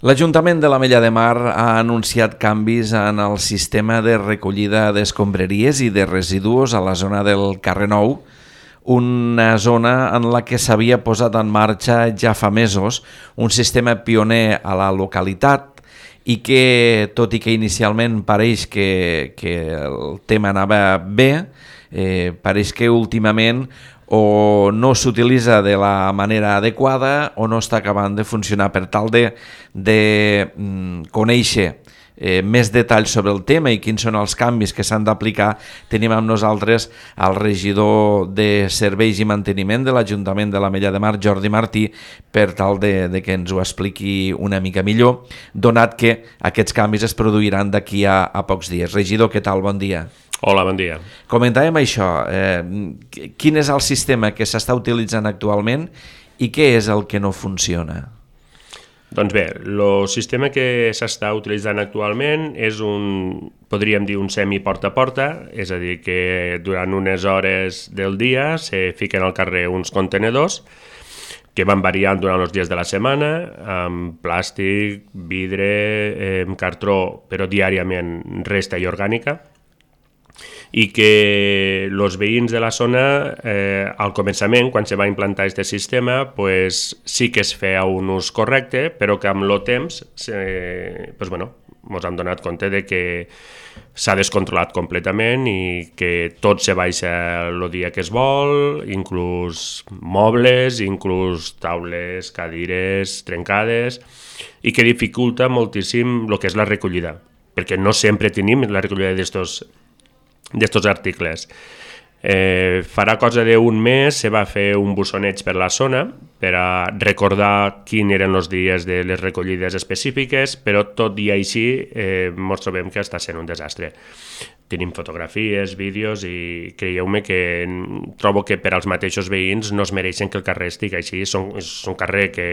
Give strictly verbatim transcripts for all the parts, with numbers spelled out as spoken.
L'Ajuntament de l'Ametlla de Mar ha anunciat canvis en el sistema de recollida d'escombraries i de residus a la zona del Carrer Nou, una zona en la que s'havia posat en marxa ja fa mesos un sistema pioner a la localitat i que, tot i que inicialment pareix que, que el tema anava bé, eh, pareix que últimament o no s'utilitza de la manera adequada o no està acabant de funcionar. Per tal de, de mm, conèixer eh, més detalls sobre el tema i quins són els canvis que s'han d'aplicar, tenim amb nosaltres el regidor de Serveis i Manteniment de l'Ajuntament de l'Ametlla de Mar, Jordi Martí, per tal de, de que ens ho expliqui una mica millor, donat que aquests canvis es produiran d'aquí a, a pocs dies. Regidor, què tal? Bon dia. Hola, bon dia. Comentàvem això, eh, quin és el sistema que s'està utilitzant actualment i què és el que no funciona? Doncs bé, el sistema que s'està utilitzant actualment és un, podríem dir, un semi-porta a porta, és a dir, que durant unes hores del dia se fiquen al carrer uns contenedors que van variant durant els dies de la setmana, amb plàstic, vidre, eh, cartró, però diàriament resta i orgànica, i que els veïns de la zona, eh, al començament, quan se va implantar aquest sistema, pues, sí que es feia un ús correcte, però que amb el temps eh, pues, bueno, ens hem donat compte de que s'ha descontrolat completament i que tot se baixa el dia que es vol, inclús mobles, inclús taules, cadires trencades, i que dificulta moltíssim el que és la recollida, perquè no sempre tenim la recollida d'estos d'estos articles. Eh, farà cosa d'un mes se va fer un bussoneig per la zona per a recordar quins eren els dies de les recollides específiques, però tot i així eh, ens trobem que està sent un desastre. Tenim fotografies, vídeos i creieu-me que trobo que per als mateixos veïns no es mereixen que el carrer estigui així. És un, és un carrer que,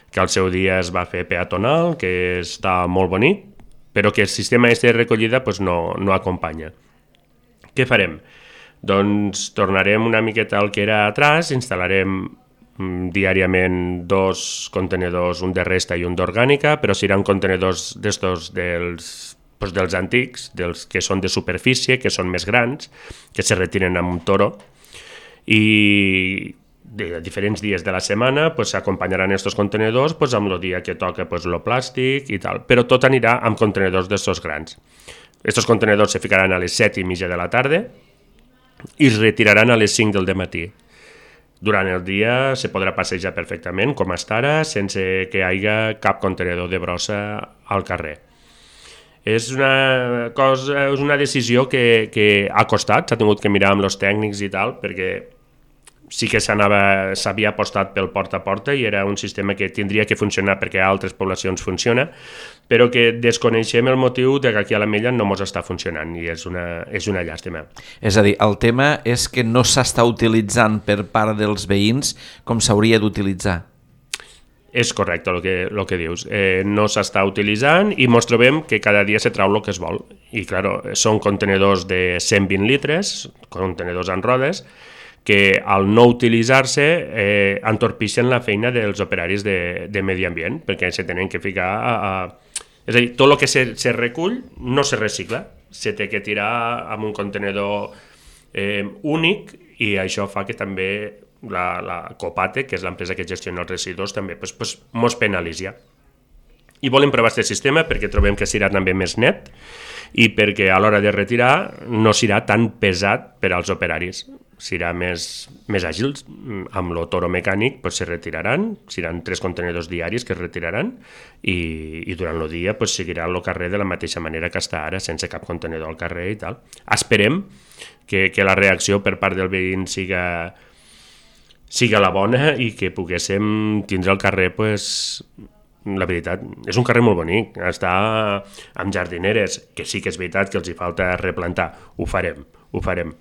que al seu dia es va fer peatonal, que està molt bonic, però que el sistema de recollida pues, no, no acompanya. Què farem? Doncs tornarem una miqueta al que era atrás, instal·larem mm, diàriament dos contenedors, un de resta i un d'orgànica, però seran contenedors d'estos dels, pues dels antics, dels que són de superfície, que són més grans, que se retiren amb un toro, i de diferents dies de la setmana pues, s'acompanyaran aquests contenedors pues, amb el dia que toca pues, el plàstic i tal, però tot anirà amb contenedors d'estos grans. Estos contenedors se ficaran a les set i mitja de la tarda i es retiraran a les cinc del matí. Durant el dia se podrà passejar perfectament, com està ara, sense que hi hagi cap contenedor de brossa al carrer. És una cosa, és una decisió que, que ha costat, s'ha tingut que mirar amb els tècnics i tal, perquè sí que s'havia apostat pel porta a porta i era un sistema que tindria que funcionar perquè a altres poblacions funciona, però que desconeixem el motiu de que aquí a l'Ametlla no ens està funcionant i és una, és una llàstima. És a dir, el tema és que no s'està utilitzant per part dels veïns com s'hauria d'utilitzar. És correcte el que, el que dius. Eh, no s'està utilitzant i ens trobem que cada dia se trau el que es vol. I, clar, són contenedors de cent vint litres, contenedors en rodes, que al no utilitzar-se eh, entorpixen la feina dels operaris de, de medi ambient, perquè se tenen que ficar a... a... És a dir, tot el que se, se recull no se recicla, se té que tirar amb un contenedor eh, únic i això fa que també la, la Copate, que és l'empresa que gestiona els residus, també pues, pues, mos penalitza. I volem provar aquest sistema perquè trobem que serà també més net i perquè a l'hora de retirar no serà tan pesat per als operaris. Serà més, més àgil, amb el toro mecànic pues, se retiraran, seran tres contenidors diaris que es retiraran i, i durant el dia pues, seguirà el carrer de la mateixa manera que està ara, sense cap contenidor al carrer i tal. Esperem que, que la reacció per part del veïn siga, siga la bona i que poguéssim tindre el carrer, pues, la veritat, és un carrer molt bonic, està amb jardineres, que sí que és veritat que els hi falta replantar, ho farem, ho farem.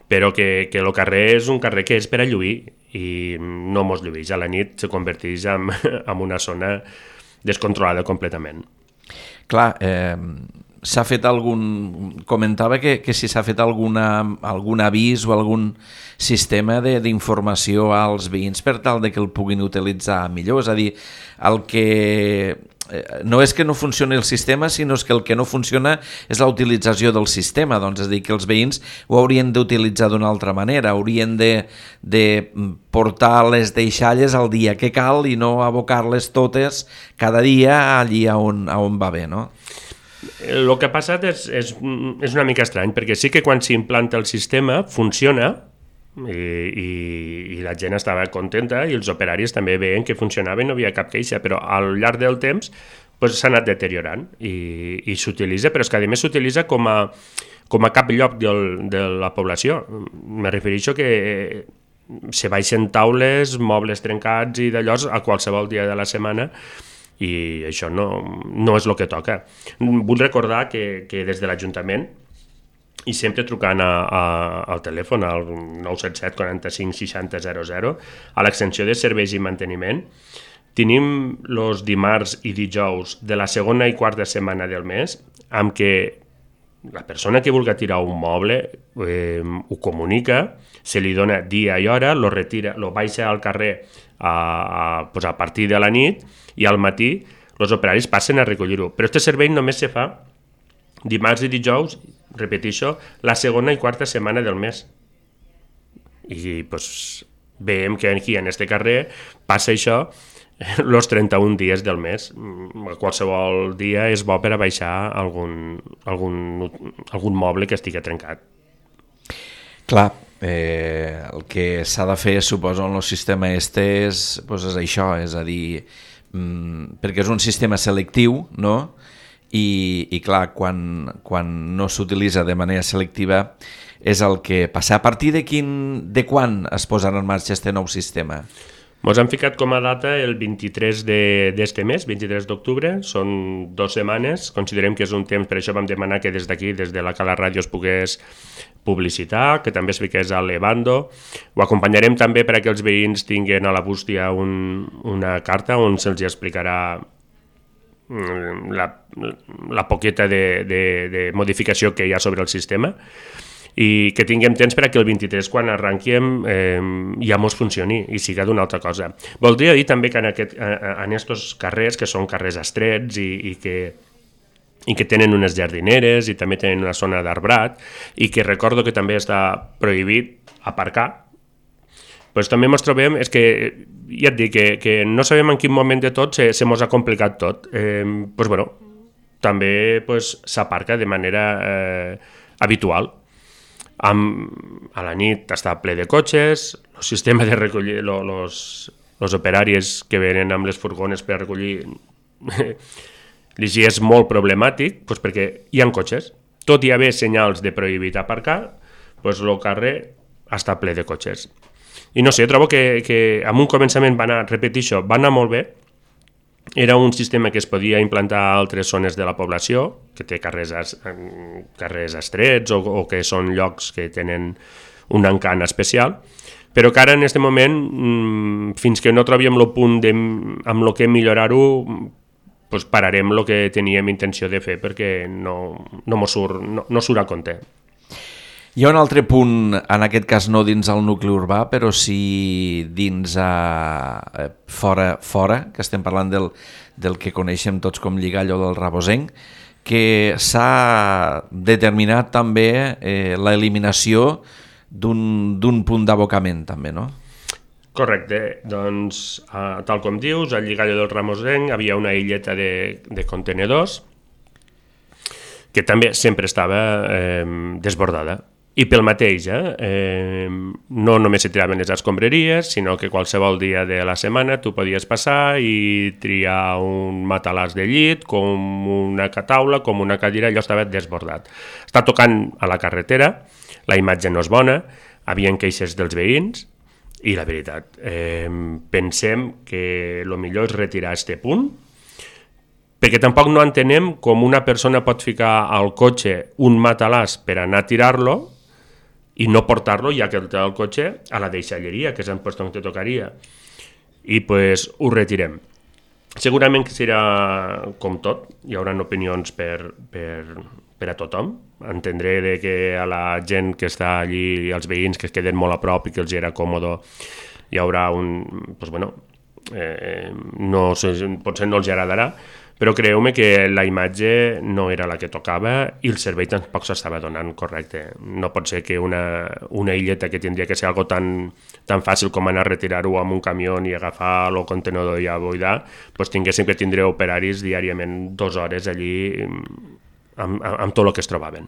Però que, que el carrer és un carrer que és per a lluir i no mos lluís. A la nit se converteix en, en una zona descontrolada completament. Clar, eh, s'ha fet algun... Comentava que, que si s'ha fet alguna, algun avís o algun sistema d'informació als veïns per tal de que el puguin utilitzar millor. És a dir, el que... no és que no funcioni el sistema, sinó que el que no funciona és la utilització del sistema. Doncs és a dir, que els veïns ho haurien d'utilitzar d'una altra manera, haurien de, de portar les deixalles al dia que cal i no abocar-les totes cada dia allí on, on va bé, no? El que ha passat és, és, és una mica estrany, perquè sí que quan s'implanta el sistema funciona, I, i, i la gent estava contenta i els operaris també veien que funcionava i no havia cap queixa, però al llarg del temps pues, s'ha anat deteriorant i, i s'utilitza, però és que a més s'utilitza com a, com a cap lloc del, de la població. Me refereixo que se baixen taules, mobles trencats i d'allò a qualsevol dia de la setmana i això no, no és el que toca. Vull recordar que, que des de l'Ajuntament i sempre trucant a, a, al telèfon al nou set set quaranta-cinc seixanta zero zero a l'extensió de serveis i manteniment tenim els dimarts i dijous de la segona i quarta setmana del mes amb què la persona que vulgui tirar un moble eh, ho comunica, se li dona dia i hora, lo retira, lo baixa al carrer a, a, pues a partir de la nit i al matí els operaris passen a recollir-ho, però aquest servei només se fa dimarts i dijous, repeteixo, la segona i quarta setmana del mes. I pues, veiem que aquí, en este carrer, passa això els trenta-un dies del mes. Qualsevol dia és bo per a baixar algun, algun, algun moble que estigui trencat. Clar, eh, el que s'ha de fer, suposo, en el sistema este és, pues és això, és a dir, mmm, perquè és un sistema selectiu, no?, I, i clar, quan, quan no s'utilitza de manera selectiva és el que passa. A partir de, quin, de quan es posarà en marxa aquest nou sistema? Ens han ficat com a data el vint-i-tres d'este mes, vint-i-tres d'octubre, són dues setmanes, considerem que és un temps, per això vam demanar que des d'aquí, des de la Cala Ràdio es pogués publicitar, que també es fiqués a l'Evando. Ho acompanyarem també per a que els veïns tinguin a la bústia un, una carta on se'ls explicarà La, la poqueta de, de, de modificació que hi ha sobre el sistema i que tinguem temps per a que el vint-i-tres, quan arranquem, eh, ja mos funcioni i siga d'una altra cosa. Voldria dir també que en, aquest, en estos carrers, que són carrers estrets i, i, que, i que tenen unes jardineres i també tenen una zona d'arbrat i que recordo que també està prohibit aparcar, pues també ens trobem, és que ja et dic que, que no sabem en quin moment de tot se, se mos ha complicat tot. Eh, pues bueno, també pues, s'aparca de manera eh, habitual. Amb, a la nit està ple de cotxes, el sistema de recollir, els operaris que venen amb les furgones per a recollir, és molt problemàtic pues, perquè hi ha cotxes. Tot hi haver senyals de prohibit aparcar, pues, el carrer està ple de cotxes. I no sé, trobo que, que en un començament va anar, repeteixo, va anar molt bé. Era un sistema que es podia implantar a altres zones de la població, que té carrers, carrers estrets o, o que són llocs que tenen un encant especial, però que ara en aquest moment, fins que no trobem el punt de, amb el que millorar-ho, pues pararem el que teníem intenció de fer perquè no, no, surt, no, no surt a compte. Hi ha un altre punt, en aquest cas no dins el nucli urbà, però sí dins a, a fora, fora, que estem parlant del, del que coneixem tots com Lligallo del Rabosenc, que s'ha determinat també eh, l'eliminació d'un punt d'abocament també, no? Correcte, doncs eh, tal com dius, al Lligallo del Rabosenc havia una illeta de, de contenedors que també sempre estava eh, desbordada. I pel mateix, eh? Eh, no només se tiraven les escombraries, sinó que qualsevol dia de la setmana tu podies passar i triar un matalàs de llit, com una taula, com una cadira, allò estava desbordat. Està tocant a la carretera, la imatge no és bona, havien queixes dels veïns, i la veritat, eh, pensem que el millor és retirar aquest punt, perquè tampoc no entenem com una persona pot ficar al cotxe un matalàs per anar a tirar-lo i no portar-lo, ja que el té al cotxe, a la deixalleria, que és en lloc on te tocaria. I pues ho retirem. Segurament que serà com tot, hi haurà opinions per, per, per a tothom. Entendré de que a la gent que està allí, als veïns que es queden molt a prop i que els era còmode, hi haurà un... Pues bueno, eh, no, potser no els agradarà, però creu-me que la imatge no era la que tocava i el servei tampoc s'estava donant correcte. No pot ser que una, una illeta que tindria que ser algo tan, tan fàcil com anar a retirar-ho amb un camió i agafar el contenedor i a buidar, doncs tinguéssim que tindre operaris diàriament dues hores allí amb, amb, amb tot el que es trobaven.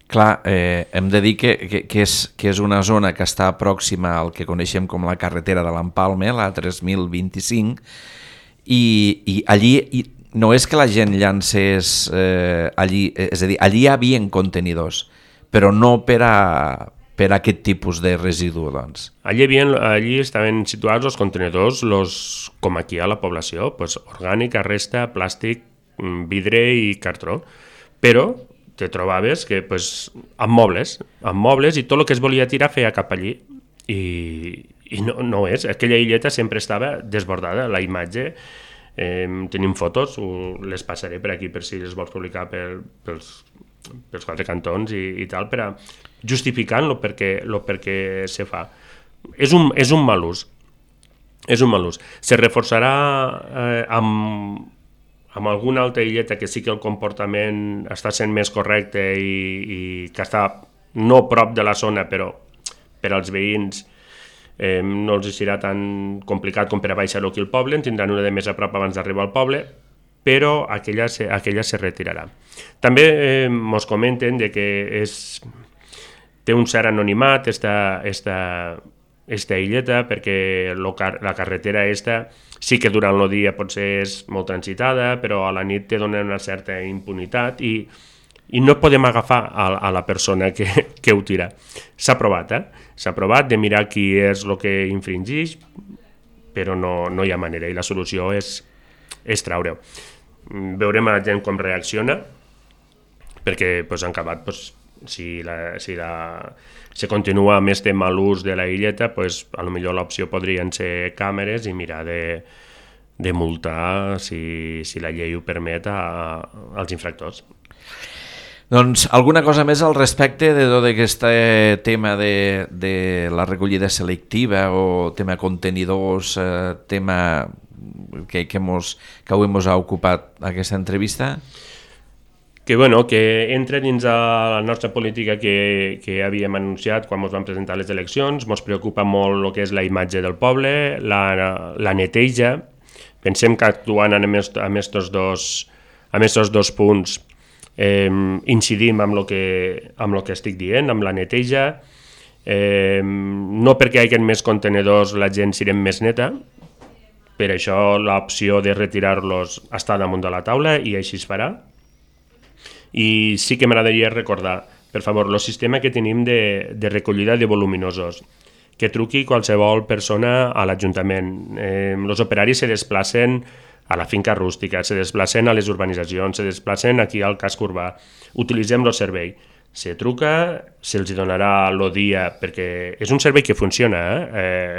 Clar, eh, hem de dir que, que, que, és, que és una zona que està pròxima al que coneixem com la carretera de l'Empalme, la tres mil vint-i-cinc, i, i allí... I, no és que la gent llancés eh, allí, és a dir, allí hi havia contenidors, però no per a, per a aquest tipus de residu, doncs. Allí, havien, allí estaven situats els contenidors, los, com aquí a la població, pues, orgànica, resta, plàstic, vidre i cartró, però te trobaves que pues, amb mobles, amb mobles i tot el que es volia tirar feia cap allí, i, i no, no és, aquella illeta sempre estava desbordada, la imatge. Eh, tenim fotos, les passaré per aquí per si les vols publicar per, pels, pels quatre cantons i, i tal, per a justificant-lo perquè, lo perquè se fa. És un, és un mal ús. És un mal ús. Se reforçarà eh, amb, amb alguna altra illeta que sí que el comportament està sent més correcte i, i que està no prop de la zona, però per als veïns Eh, no els serà tan complicat com per a baixar-ho aquí al poble, en tindran una de més a prop abans d'arribar al poble, però aquella se, aquella se retirarà. També eh, mos comenten de que és, té un cert anonimat esta, esta, esta illeta, perquè lo, la carretera esta sí que durant el dia potser és molt transitada, però a la nit te dona una certa impunitat i i no podem agafar a, a la persona que, que ho tira. S'ha provat, eh? S'ha provat de mirar qui és el que infringeix, però no, no hi ha manera, i la solució és, és treure-ho. Veurem a la gent com reacciona, perquè pues, en acabat, pues, si, la, si la, se continua amb este mal ús de la illeta, pues, a lo millor l'opció podrien ser càmeres i mirar de, de multar, si, si la llei ho permet, a, a, als infractors. Doncs alguna cosa més al respecte de tot aquest tema de, de la recollida selectiva o tema contenidors, eh, tema que, que, mos, que avui ens ha ocupat aquesta entrevista? Que, bueno, que entra dins a la nostra política que, que havíem anunciat quan ens vam presentar les eleccions. Ens preocupa molt el que és la imatge del poble, la, la neteja. Pensem que actuant amb aquests dos, amb aquests dos punts Eh, incidim amb el que, amb el que estic dient, amb la neteja, eh, no perquè hi hagi més contenidors la gent siguem més neta, per això l'opció de retirar-los està damunt de la taula i així es farà. I sí que m'agradaria recordar, per favor, el sistema que tenim de, de recollida de voluminosos, que truqui qualsevol persona a l'Ajuntament. Eh, els operaris se desplacen a la finca rústica, se desplacen a les urbanitzacions, se desplacen aquí al casc urbà. Utilitzem el servei. Se truca, se'ls donarà el dia, perquè és un servei que funciona. Eh?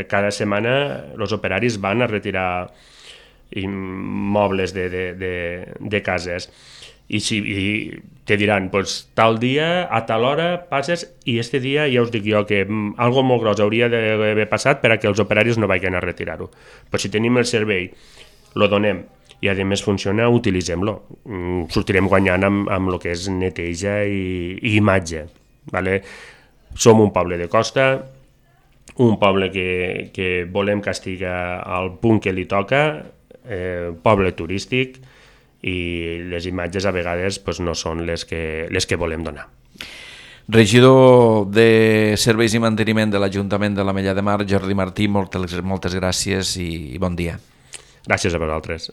Eh, cada setmana els operaris van a retirar mobles de, de, de, de cases. I, si, i te diran, pues, tal dia, a tal hora passes, i este dia ja us dic jo que mm, algo molt gros hauria d'haver passat per a que els operaris no vagin a retirar-ho. Però si tenim el servei, lo donem i a més funciona, utilitzem-lo. Mm, sortirem guanyant amb, amb el que és neteja i, i imatge. Vale? Som un poble de costa, un poble que, que volem que estigui al punt que li toca, eh, poble turístic, i les imatges a vegades pues, no són les que, les que volem donar. Regidor de Serveis i Manteniment de l'Ajuntament de l'Ametlla de Mar, Jordi Martí, moltes, moltes gràcies i, i bon dia. Gràcies a vosaltres.